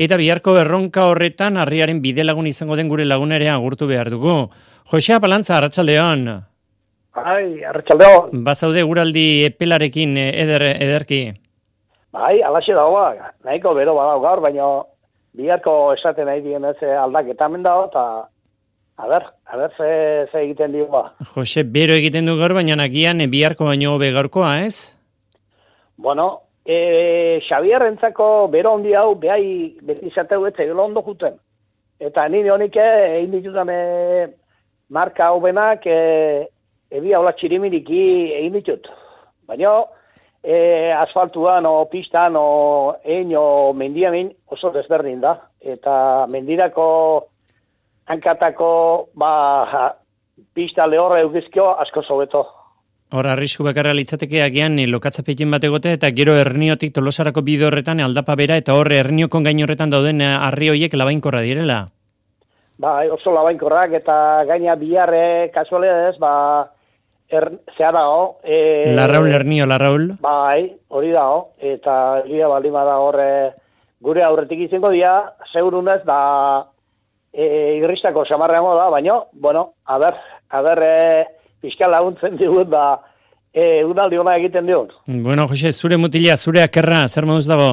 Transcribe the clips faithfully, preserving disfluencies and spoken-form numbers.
Eta biharko erronka horretan harriaren bide lagun izango den gure lagun ere agurtu behar dugu. Jose Apalantza, arratsaldeon. Bai, arratsaldeon. Bazaude guraldi epelarekin eder, ederki. Bai, alaxe dagoa, nahiko bero badau gaur, baina biharko esaten nahi dien ez aldaketa hemen dago, eta a ber, a ber ze, ze egiten dio ba. Jose, bero egiten du gaur, baina nagian biharko baino hobe gaurkoa, ez? Bueno, e, Xabierrentzako bero handi hau, behai beti izateu ez egelo ondo juten. Eta nire honik egin ditutan e, marka hau benak, e, ebi haula txirimiriki egin ditut. Baina, E, asfaltuan, o pistan, o egin, o mendiamin oso desberdin da. Eta mendirako hankatako ba, pista lehorra eugizkio asko sobeto. Hor, arrisku bakarra litzateke agian lokatzapekin bat egote eta gero Herniotik Tolosarako bide horretan aldapa bera eta hor Herniokon gain horretan dauden harri horiek labainkorra direla. Ba, oso labainkorrak eta gaina biharre kasualidades, ba, Er, zea dago. E, Larraul, Hernio, Larraul. Bai, hori dago. Eta gira baldima da horre gure aurretik izango dia, segurunez da e, irristako samarreango da, baina, bueno, a ber, a ber, e, pixka laguntzen digut da, e, unaldi hona egiten diot. Bueno, Jose, zure mutila, zure akerra, zer moduz dago?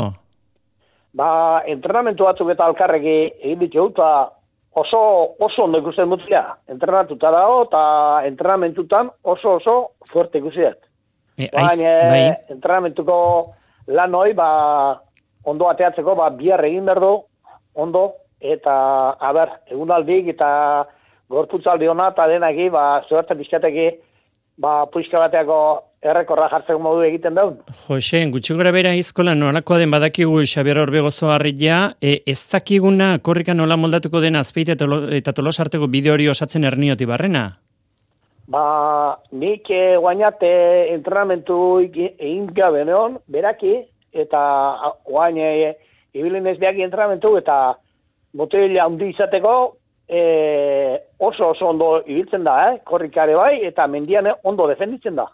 Ba, entrenamentu batzuk eta alkarreki egin ditu, eta oso, oso ondo ikusten mutila. Entrenatuta dago, eta entrenamentutan oso oso fuerte ikusiet. E, aiz, bai. Entrenamentuko lan hoi, ba, ondo ateatzeko, ba, bihar egin behar du, ondo, eta, a ber, egunaldik, eta gorputzaldi hona, eta denaki, ba, zuerte pizkateki, ba, puiska bateako errekorra jartzeko modu egiten daun. Jose, gutxi gora bera izkola nolakoa den badakigu Xabier Orbegozo harria, e, ez dakiguna korrika nola moldatuko den Azpeite eta Tolosarteko bide hori osatzen Hernioti barrena? Ba, nik e, guainate entrenamentu egin gabe neon, beraki, eta guain e, ibilin ez behaki entrenamentu, eta botella handi izateko, e, oso oso ondo ibiltzen da, eh? Korrikare bai, eta mendian ondo defenditzen da.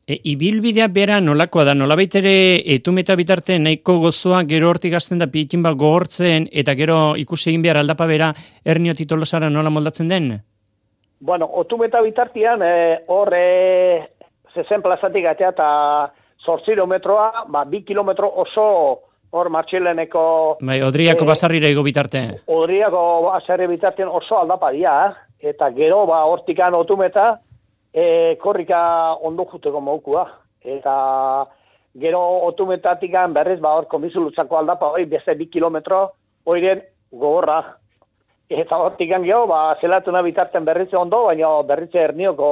E, ibilbidea bera nolakoa da, nolabait ere etumeta bitarte nahiko gozoa gero hortik gazten da pikin bat gogortzen eta gero ikusi egin behar aldapa bera Hernioti Tolosara nola moldatzen den? Bueno, otumeta bitartian hor e, zezen plazatik atea eta zortziro metroa, ba, bi kilometro oso hor martxileneko... Bai, Odriako e, basarrira ego bitarte. Odriako basarri bitartian oso aldapa dia, eh? Eta gero ba, hortikan otumeta, E, korrika ondo juteko maukua. Eta gero otumetatikan berriz, ba, hor komizulutzako aldapa, hori beste bi kilometro, horiren gogorra. Eta hortikan geho, ba, zelatuna bitarten berritze ondo, baina berritze Hernioko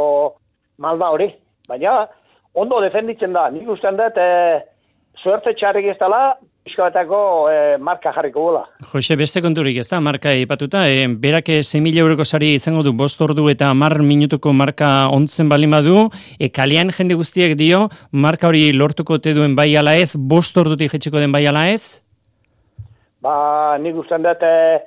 malda hori. Baina ondo defenditzen da. Nik ustean dut, e, suerte txarrik ez dela, pixkoetako e, marka jarriko gula. Jose, beste konturik ez da, marka ipatuta, e, berak sei mila euroko sari izango du bost ordu eta hamar minutuko marka ontzen balima du, e, kalean jende guztiek dio, marka hori lortuko te duen bai ala ez, bost ordutik jetxeko den bai ala ez? Ba, nik ustean dut, e,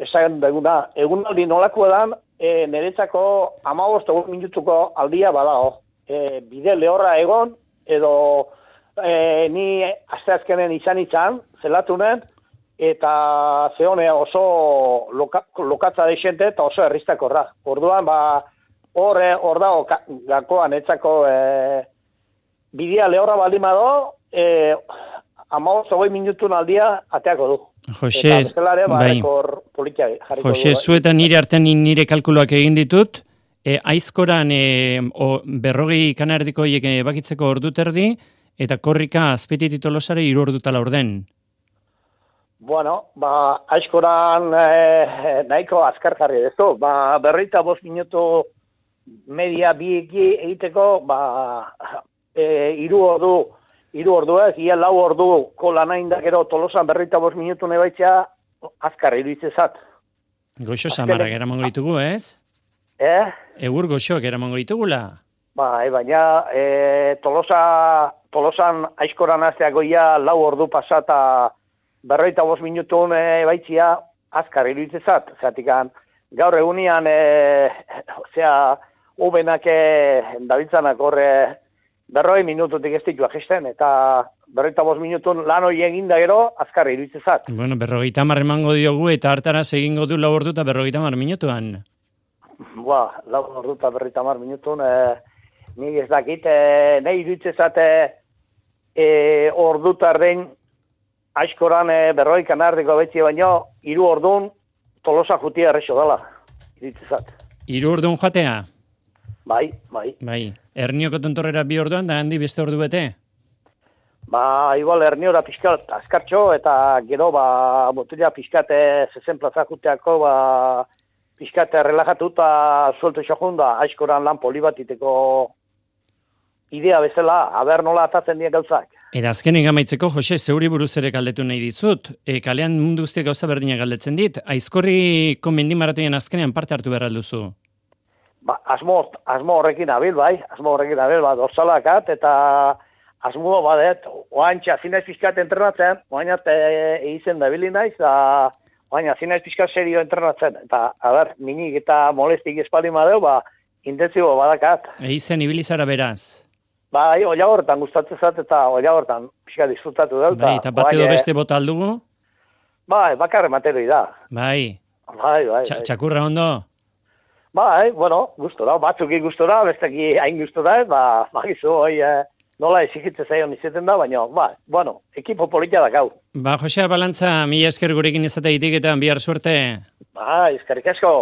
esan duguna, egunaldi nolako edan, e, niretzako hamabost minutuko aldia badago. E, bide lehorra egon, edo... E, ni asteazkenen izan izan, zelatunen, eta zehone oso loka, lokatza deixente eta oso erriztakorra. Orduan, ba, hor hor dago gakoan etzako e, bidea lehorra baldin bado, e, hamabost hogei minutun aldia ateako du. Jose, eta bezalare, ba, bai. Politia jarriko Jose, du. zu eta nire artean nire kalkuloak egin ditut, e, aizkoran e, o, berrogei kanardiko hiek bakitzeko ordu terdi, eta korrika Azpeititik Tolosara hiru ordutala orden. Bueno, ba, aizkoran eh, nahiko azkar jarri dezu. Ba, berreita bost minutu media bieki egiteko, ba, e, iru ordu, iru ordu ez, ia lau ordu kola nahi indakero Tolosan berreita bost minutu nebaitzea azkar iruditzezat. Goxo samarrak eramango ditugu, ez? Eh? Egur goxoak eramango ditugula. Ba, e, baina e, Tolosa, Tolosan aizkoran azteak goia lau ordu pasata berroita bost minutun e, baitzia azkar iruditzezat. Zeratikan gaur egunian e, zera ubenak e, dabiltzanak horre berroi minututik ez ditu agisten, eta berroita bost minutun lan hori eginda gero, azkarri iruditzezat. Bueno, berrogeita hamar emango diogu, eta hartaraz egingo du lau ordu eta berrogeita hamar minutuan. Ba, lau ordu eta berrogeita hamar minutun, e, nik ez dakit, e, nahi iruditzezat e, ordu tarden aizkoran e, berrogeik anardiko betzi baino, hiru ordun Tolosa jutia errexo dela, iruditzezat. Hiru orduan joatea? Bai, bai. Bai. Ernioko tontorrera bi orduan, da handi beste ordu bete? Ba, igual erniora pixkat askartxo, eta gero, ba, botella pixkate zezen plaza juteako, ba, pixkate relajatu eta suelto xojun da, aizkoran lan poli bat iteko idea bezala, haber nola atatzen dien gauzak. Eta azkenik amaitzeko, Jose, zeuri buruz ere galdetu nahi dizut. E, kalean mundu guztiak gauza berdina galdetzen dit. Aizkorriko mendimaratoian azkenean parte hartu behar alduzu. Ba, asmo, asmo horrekin abil, bai, asmo horrekin abil, ba, dorsalakat, eta asmo badet, oain txazinaiz pixkat entrenatzen, oain egiten da bili naiz, da oain txazinaiz pixkat serio entrenatzen, eta, a ber, minik eta molestik espaldi madeu, ba, intensibo badakat. Eizen ibilizara beraz. Bai, oia horretan gustatzen zat, eta oia horretan pixka disfrutatu dut. Bai, eta bat edo beste bota aldugu? Bai, bakarre materoi da. Bai. Bai, bai. Txa, txakurra ondo? Bai, bueno, gustora, batzuki gustora, besteki hain gustora, ba, bagizu, hoi, eh, nola esigitze zaion izeten da, baina, ba, bueno, ekipo politia da gau. Ba, Josea Balantza, mila esker gurekin izatea itik eta bihar suerte. Bai, eskerrik asko.